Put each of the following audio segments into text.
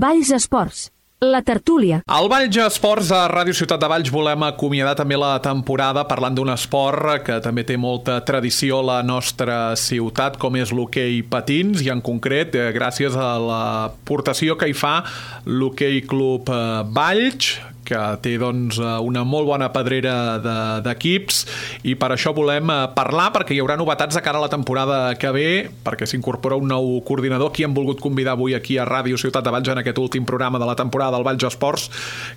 Valls Esports, la tertúlia. Al Valls Esports, a Ràdio Ciutat de Valls, volem acomiadar també la temporada parlant d'un esport que també té molta tradició a la nostra ciutat, com és l'hoquei patins, i en concret, gràcies a l'aportació que hi fa l'Hoquei Club Valls, que té doncs, una molt bona pedrera d'equips, i per això volem parlar, perquè hi haurà novetats de cara a la temporada que ve, perquè s'incorpora un nou coordinador, qui hem volgut convidar avui aquí a Ràdio Ciutat de Valls en aquest últim programa de la temporada del Valls Esports,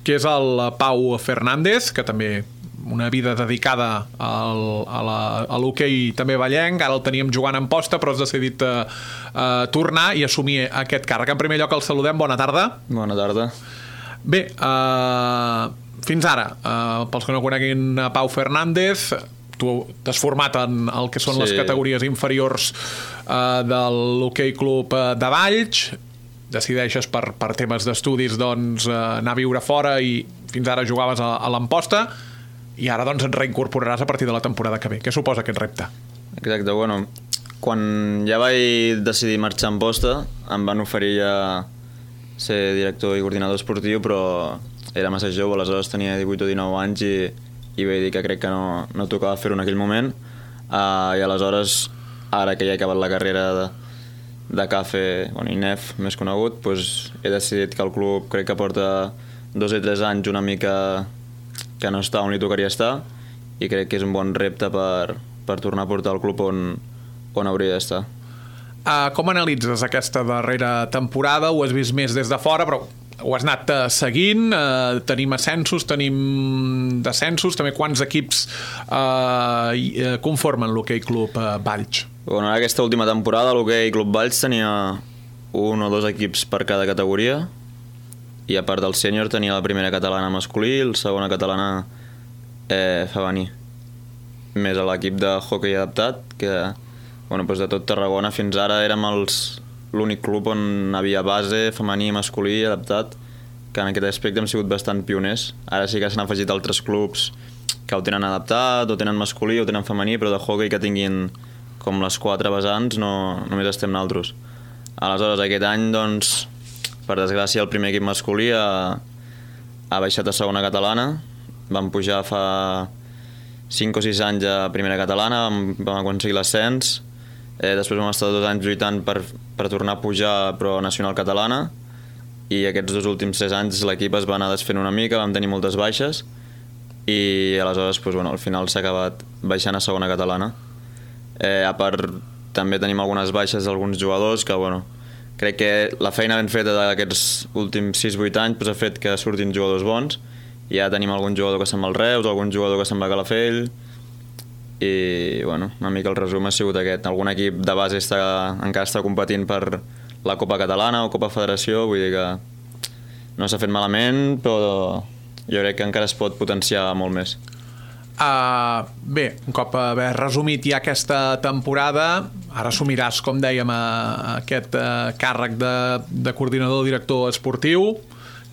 que és el Pau Fernández, que també una vida dedicada a l'hoquei també vallenc. Ara el teníem jugant en posta, però has decidit tornar i assumir aquest càrrec. En primer lloc el saludem, bona tarda. Bona tarda. Bé, fins ara, pels que no coneguin Pau Fernández, tu t'has format en el que són les categories inferiors de l'Hoquei Club de Valls, decideixes per temes d'estudis doncs, anar a viure fora i fins ara jugaves a l'Amposta i ara doncs et reincorporaràs a partir de la temporada que ve. Què suposa aquest repte? Exacte, bueno, quan ja vaig decidir marxar a Amposta em van oferir ja ser director i coordinador esportiu, però era massa jove, aleshores tenia 18 o 19 anys i vaig dir que crec que no tocava fer-ho en aquell moment, i aleshores, ara que ja he acabat la carrera de CAFE, INEF, més conegut, doncs he decidit que el club crec que porta 2 o 3 anys una mica que no està on li tocaria estar, i crec que és un bon repte per tornar a portar el club on hauria d'estar. Com analitzes aquesta darrera temporada? Ho has vist més des de fora, però ho has anat seguint. Tenim ascensos, tenim descensos. També quants equips conformen l'Hoquei Club Valls? Bueno, en aquesta última temporada l'Hoquei Club Valls tenia 1 o 2 equips per cada categoria, i a part del sènior tenia la primera catalana masculí i la segona catalana femení, més a l'equip de hoquei adaptat, que doncs de tot Tarragona fins ara érem l'únic club on havia base, femení i masculí adaptat, que en aquest aspecte hem sigut bastant pioners. Ara sí que s'han afegit altres clubs que ho tenen adaptat, o tenen masculí o tenen femení, però de hoquei que tinguin com les 4 vessants només estem nosaltres. Aleshores, aquest any, doncs, per desgràcia, el primer equip masculí ha baixat a segona catalana. Vam pujar fa 5 o 6 anys a primera catalana, vam aconseguir l'ascens. Després vam estar 2 anys lluitant per tornar a pujar, però a nacional catalana, i aquests 2 últims 3 anys l'equip es va anar desfent una mica, vam tenir moltes baixes, i aleshores al final s'ha acabat baixant a segona catalana. A part, també tenim algunes baixes d'alguns jugadors que, crec que la feina ben feta d'aquests últims 6-8 anys ha fet que surtin jugadors bons, i ja tenim algun jugador que se'n va al Reus, algun jugador que se'n va a Calafell, i una mica el resum ha sigut aquest. Algun equip de base encara està competint per la Copa Catalana o Copa Federació, vull dir que no s'ha fet malament, però jo crec que encara es pot potenciar molt més. Bé, un cop haver resumit ja aquesta temporada, ara assumiràs, com dèiem, aquest càrrec de coordinador director esportiu.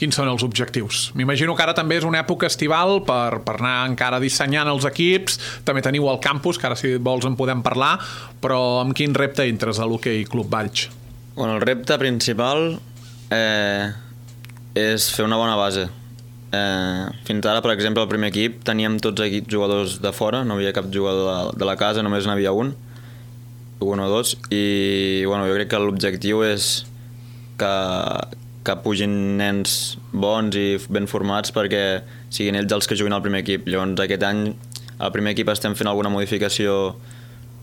Quins són els objectius? M'imagino que ara també és una època estival per anar encara dissenyant els equips. També teniu el campus, que ara si vols en podem parlar, però amb quin repte entres a l'Hoquei Club Valls? El repte principal és fer una bona base. Fins ara, per exemple, el primer equip teníem tots jugadors de fora, no havia cap jugador de la casa, només n'havia un o 2, i jo crec que l'objectiu és que pugin nens bons i ben formats perquè siguin ells els que juguin al primer equip. Llavors aquest any al primer equip estem fent alguna modificació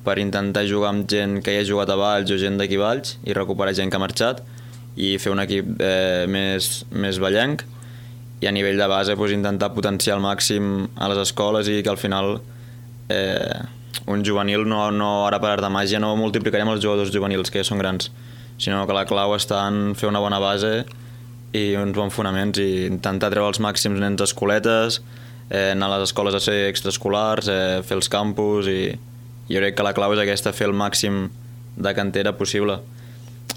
per intentar jugar amb gent que ja ha jugat a Valls o gent d'aquí Valls i recuperar gent que ha marxat i fer un equip més vallenc, i a nivell de base intentar potenciar al màxim a les escoles, i que al final un juvenil no ara per art de màgia no multiplicarem els jugadors juvenils que ja són grans, sinó que la clau està en fer una bona base i uns bons fonaments, i intentar treure els màxims nens d'escoletes, anar a les escoles a ser extraescolars, fer els campus, i jo crec que la clau és aquesta, fer el màxim de cantera possible.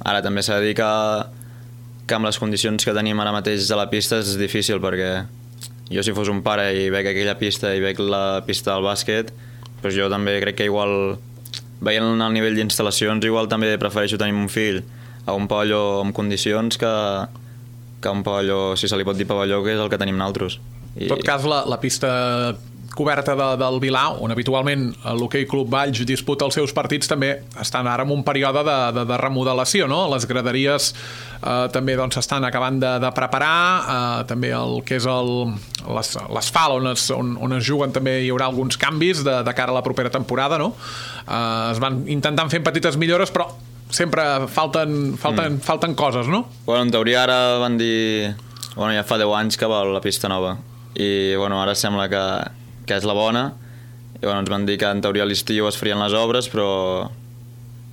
Ara també s'ha de dir que amb les condicions que tenim ara mateix a la pista és difícil, perquè jo si fos un pare i veig aquella pista i veig la pista del bàsquet, doncs jo també crec que igual, veient el nivell d'instal·lacions, igual també prefereixo tenir un fill a un pavelló amb condicions que que un pavelló, si se li pot dir pavelló, que és el que tenim nosaltres. En tot cas, la pista coberta del Vilà, on habitualment l'Hoquei Club Valls disputa els seus partits, també estan ara en un període de remodelació, no? Les graderies també s'estan acabant de preparar, també el que és l'asfalt on es juguen també hi haurà alguns canvis de cara a la propera temporada, no? Es van intentant fer petites millores, però sempre falten coses, no? Bueno, en teoria ara van dir... Bueno, ja fa 10 anys que va la pista nova i bueno, ara sembla que és la bona i bueno, ens van dir que en teoria a l'estiu es farien les obres, però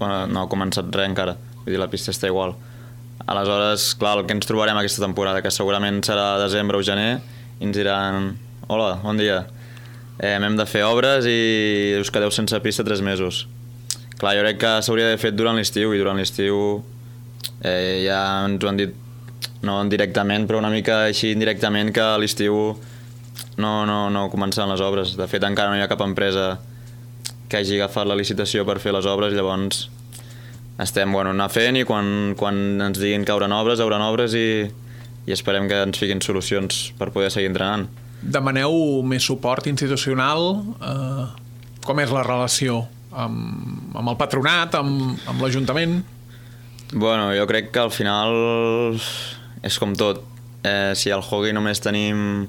bueno, no ha començat res encara, vull dir, la pista està igual. Aleshores, clar, el que ens trobarem aquesta temporada, que segurament serà desembre o gener, i ens diran: hola, bon dia, hem de fer obres i us quedeu sense pista 3 mesos. Clar, jo crec que s'hauria d'haver fet durant l'estiu, i durant l'estiu ja ens ho han dit, no directament, però una mica així indirectament, que a l'estiu no començaran les obres. De fet, encara no hi ha cap empresa que hagi agafat la licitació per fer les obres, llavors estem anar fent, i quan ens diguin que hauran obres i esperem que ens fiquin solucions per poder seguir entrenant. Demaneu més suport institucional? Com és la relació amb el patronat, amb l'Ajuntament? Bueno, jo crec que al final és com tot. Si al hockey només tenim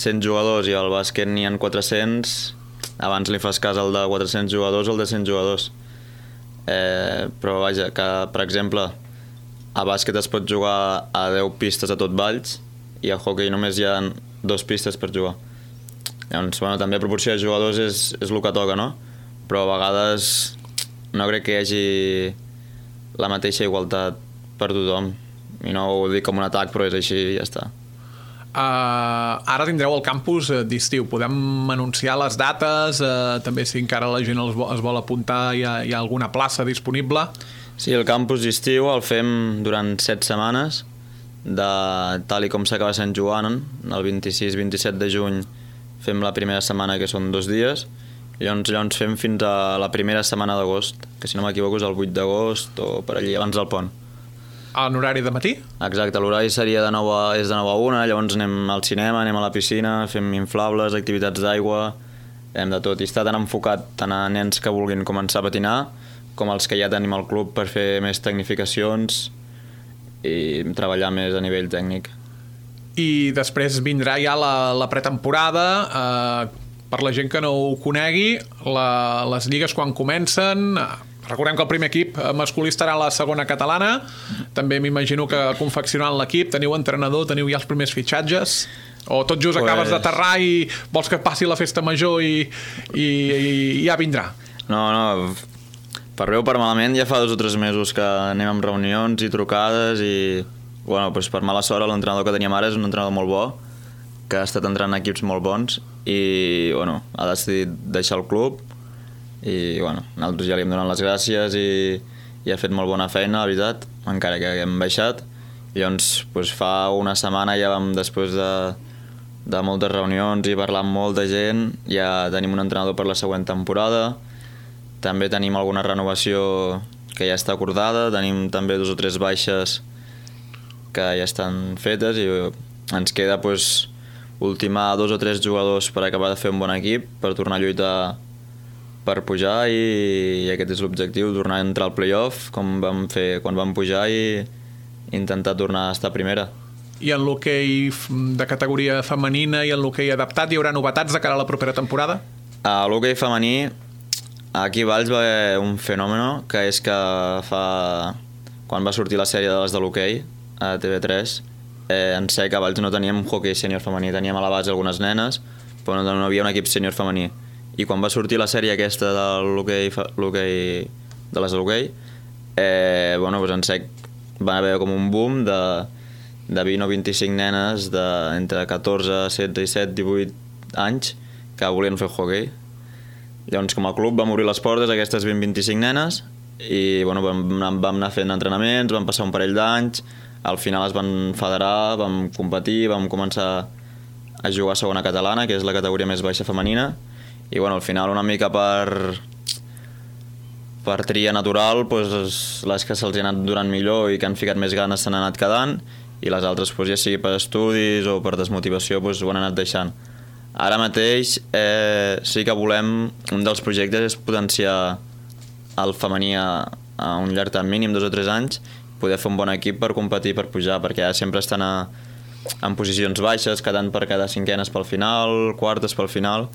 100 jugadors i al bàsquet n'hi ha 400, abans li fas cas al de 400 jugadors o al de 100 jugadors. Però vaja, que per exemple a bàsquet es pot jugar a 10 pistes a tot Valls i a hockey només hi ha 2 pistes per jugar. Llavors, bueno, també a proporció de jugadors és el que toca, no? Però a vegades no crec que hi hagi la mateixa igualtat per tothom, i no ho dic com un atac, però és així i ja està. Ara tindreu el campus d'estiu, podem anunciar les dates, també si encara la gent es vol apuntar, hi ha alguna plaça disponible? Sí, el campus d'estiu el fem durant 7 setmanes, tal i com s'acaba Sant Joan, el 26-27 de juny fem la primera setmana, que són 2 dies, i llavors fem fins a la primera setmana d'agost, que si no m'equivoco és el 8 d'agost o per allí, abans del pont. En horari de matí? Exacte, l'horari seria de 9 a 1, llavors anem al cinema, anem a la piscina, fem inflables, activitats d'aigua, hem de tot, i està tan enfocat tant a nens que vulguin començar a patinar com els que ja tenim al club per fer més tecnificacions i treballar més a nivell tècnic. I després vindrà ja la pretemporada. Per la gent que no ho conegui, les lligues quan comencen... Recordem que el primer equip masculí estarà a la segona catalana. També m'imagino que confeccionant l'equip teniu entrenador, teniu ja els primers fitxatges, o tot just acabes d'aterrar i vols que passi la festa major i ja vindrà? No, per bé o per malament ja fa 2 o 3 mesos que anem amb reunions i trucades i per mala sort l'entrenador que teníem ara és un entrenador molt bo, que ha estat entrenant equips molt bons i ha decidit deixar el club. I nosaltres ja li hem donat les gràcies i ha fet molt bona feina, la veritat, encara que hem baixat. Llavors fa una setmana ja vam, després de moltes reunions i parlar amb molta gent, ja tenim un entrenador per la següent temporada. També tenim alguna renovació que ja està acordada, tenim també 2 o 3 baixes que ja estan fetes i ens queda ultimar 2 o 3 jugadors per acabar de fer un bon equip, per tornar a lluitar per pujar, i aquest és l'objectiu, tornar a entrar al play-off com vam fer quan vam pujar i intentar tornar a estar a primera. I en l'hoquei de categoria femenina i en l'hoquei adaptat hi haurà novetats de cara a la propera temporada? A l'hoquei femení aquí a Valls va haver un fenomen, que és que quan va sortir la sèrie de les de l'hoquei a TV3, en sé que a Valls no teníem hoquei sènior femení, teníem a la base algunes nenes, però no havia un equip sènior femení. I quan va sortir la sèrie aquesta de l'hoquei de les de l'hoquei, en sec va haver com un boom de 20 o 25 nenes entre 14, 16, 17, 18 anys que volien fer hoquei. Llavors, com a club vam obrir les portes a aquestes 20-25 nenes i vam anar fent entrenaments, vam passar un parell d'anys, al final es van federar, vam competir, vam començar a jugar a segona catalana, que és la categoria més baixa femenina, i al final una mica per tria natural, les que se'ls ha anat durant millor i que han ficat més ganes s'han anat quedant, i les altres, ja sigui per estudis o per desmotivació, ho han anat deixant. Ara mateix sí que volem, un dels projectes és potenciar el femení a un llarg termini, en 2 o 3 anys, poder fer un bon equip per competir, per pujar, perquè ara sempre estan en posicions baixes, quedant per cada cinquenes pel final, quartes pel final,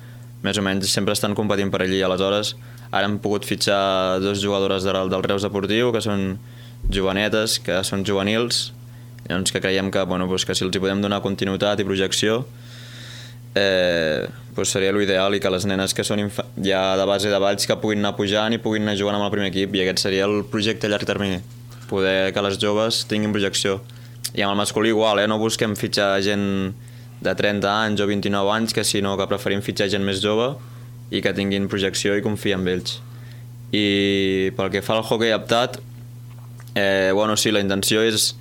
més o menys sempre estan competint per allí. Aleshores, ara hem pogut fitxar 2 jugadores del Reus Deportiu, que són jovenetes, que són juvenils, llavors que creiem que, que si els hi podem donar continuïtat i projecció, seria l'ideal, i que les nenes que són ja de base de Valls que puguin anar pujant i puguin anar jugant amb el primer equip, i aquest seria el projecte a llarg termini, poder que les joves tinguin projecció. I amb el masculí igual, no busquem fitxar gent de 30 anys o 29 anys, sinó que preferim fitxar gent més jove i que tinguin projecció i confiar en ells. I pel que fa al hoquei adaptat, sí, la intenció és,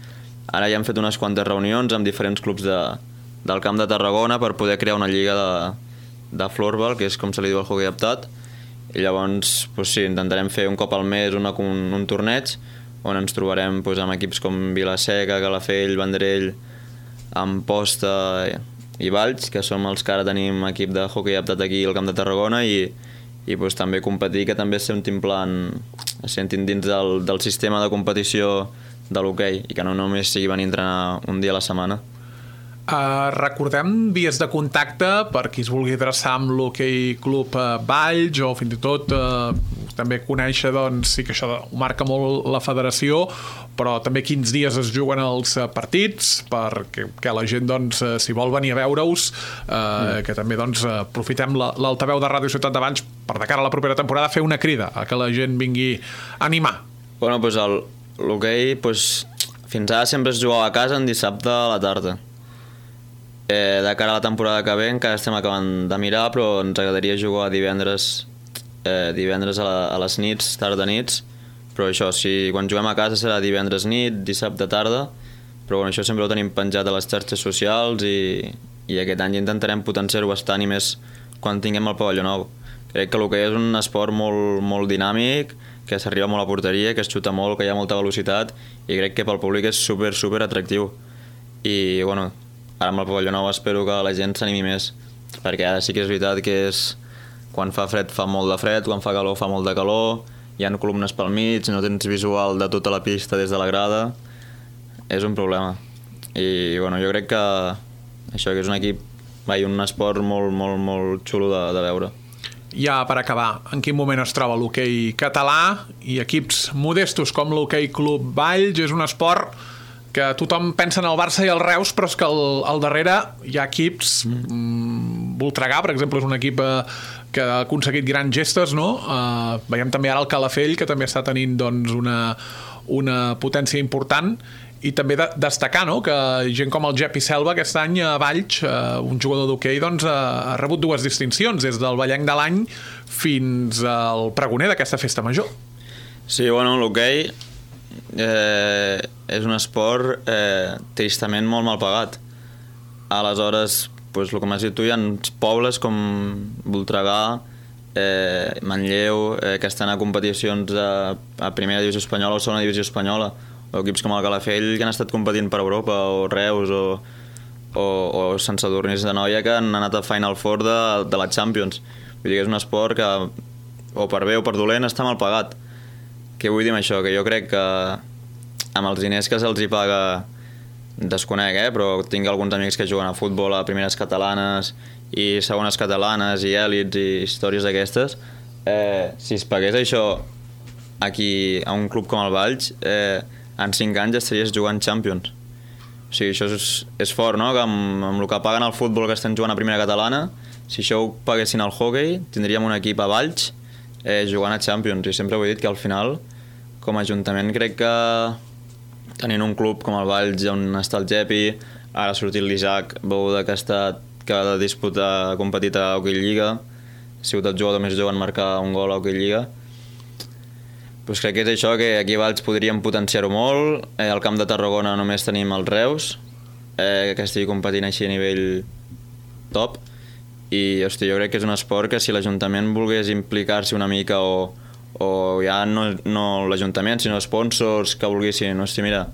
ara ja hem fet unes quantes reunions amb diferents clubs del Camp de Tarragona per poder crear una lliga de floorball, que és com se li diu el hoquei adaptat, i llavors sí, intentarem fer un cop al mes un torneig on ens trobarem amb equips com Vilaseca, Calafell, Vendrell, Amposta i Valls, que som els que ara tenim equip de hoquei adaptat aquí al Camp de Tarragona, i també competir, que també es sentin dins del sistema de competició de l'hoquei, i que no només sigui venir a entrenar un dia a la setmana. Recordem vies de contacte per qui es vulgui adreçar amb l'Hoquei Club Valls, o fins i tot també conèixer, sí que això ho marca molt la federació, però també quins dies es juguen els partits, perquè la gent, si vol venir a veure-us, que també aprofitem l'altaveu de Ràdio Ciutat de Valls per de cara a la propera temporada fer una crida a que la gent vingui a animar. L'hoquei fins ara sempre es jugava a casa en dissabte a la tarda. De cara a la temporada que ve encara estem acabant de mirar, però ens agradaria jugar divendres a les nits, tarda nits, però això, quan juguem a casa serà divendres nit, dissabte tarda, però això sempre ho tenim penjat a les xarxes socials, i aquest any intentarem potenciar-ho bastant, i més quan tinguem el pavelló nou. Crec que l'hoquei és un esport molt, molt dinàmic, que s'arriba molt a porteria, que es xuta molt, que hi ha molta velocitat, i crec que pel públic és super, super atractiu. I ara amb el pavelló nou espero que la gent s'animi més, perquè ara sí que és veritat que quan fa fred fa molt de fred, quan fa calor fa molt de calor, hi ha columnes pel mig, no tens visual de tota la pista des de la grada, és un problema. I jo crec que això que és un equip, un esport molt, molt, molt xulo de veure. Ja per acabar, en quin moment es troba l'hoquei català i equips modestos com l'Hoquei Club Valls? És un esport que tothom pensa en el Barça i el Reus, però és que al darrere hi ha equips, Voltregà, per exemple, és un equip que ha aconseguit grans gestes, no? Veiem també ara el Calafell, que també està tenint una potència important, i també destacar, no?, que gent com el Jepi Selva aquest any a Valls, un jugador d'hoquei, ha rebut 2 distincions, des del Vallenc de l'any fins al pregoner d'aquesta festa major. Sí, l'hoquei és un esport tristament molt mal pagat. Aleshores, el que m'has dit tu, hi ha pobles com Voltregà, Manlleu, que estan a competicions a primera divisió espanyola o segona divisió espanyola, o equips com el Calafell que han estat competint per Europa, o Reus, o Sant Sadurní d'Anoia, que han anat a Final Four de la Champions. Vull dir que és un esport que, o per bé o per dolent, està mal pagat. Què vull dir amb això? Que jo crec que amb els diners que se'ls hi paga, desconec, però tinc alguns amics que juguen a futbol a primeres catalanes i segones catalanes i èlits i històries d'aquestes. Si es pagués això aquí a un club com el Valls, en 5 anys estaries jugant Champions. O sigui, això és fort, no?, que amb el que paguen al futbol que estem jugant a primera catalana, si això ho paguessin al hoquei, tindríem un equip a Valls jugant a Champions. I sempre ho he dit que al final, com a Ajuntament, crec que tenint un club com el Valls, on està el Jepi, ara ha sortit l'Isaac Bouda, que ha disputat, competit a Hockey Lliga, ha sigut el jugador més jove en marcar un gol a Hockey Lliga. Pues crec que és això, que aquí a Valls podríem potenciar-ho molt. Al Camp de Tarragona només tenim els Reus, que estigui competint així a nivell top. I hosti, jo crec que és un esport que si l'Ajuntament volgués implicar-s'hi una mica, o ja no l'Ajuntament, sinó sponsors que volguessin, hosti, mira,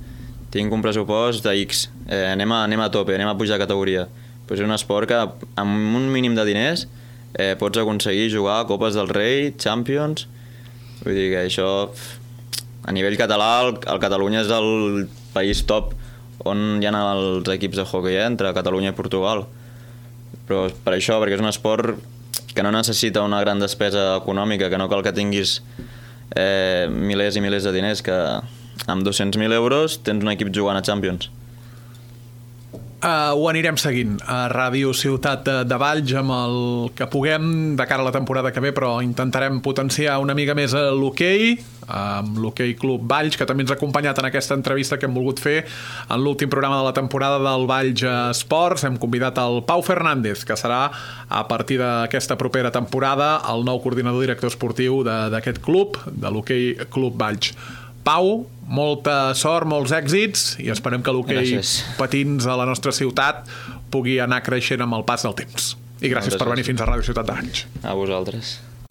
tinc un pressupost de X, anem a tope, anem a pujar de categoria. Però és un esport que amb un mínim de diners pots aconseguir jugar a Copes del Rei, Champions. Vull dir que això, a nivell català, el Catalunya és el país top on hi ha els equips de hoquei entre Catalunya i Portugal. Però per això, perquè és un esport que no necessita una gran despesa econòmica, que no cal que tinguis milers i milers de diners, que amb 200.000 euros tens un equip jugant a Champions. Ho anirem seguint a Ràdio Ciutat de Valls amb el que puguem de cara a la temporada que ve, però intentarem potenciar una mica més l'hoquei, amb l'Hoquei Club Valls, que també ens ha acompanyat en aquesta entrevista que hem volgut fer en l'últim programa de la temporada del Valls Esports. Hem convidat el Pau Fernández, que serà a partir d'aquesta propera temporada el nou coordinador director esportiu d'aquest club, de l'Hoquei Club Valls. Pau, molta sort, molts èxits i esperem que l'hoquei patins a la nostra ciutat pugui anar creixent amb el pas del temps. I gràcies per venir fins a Ràdio Ciutat de Valls. A vosaltres.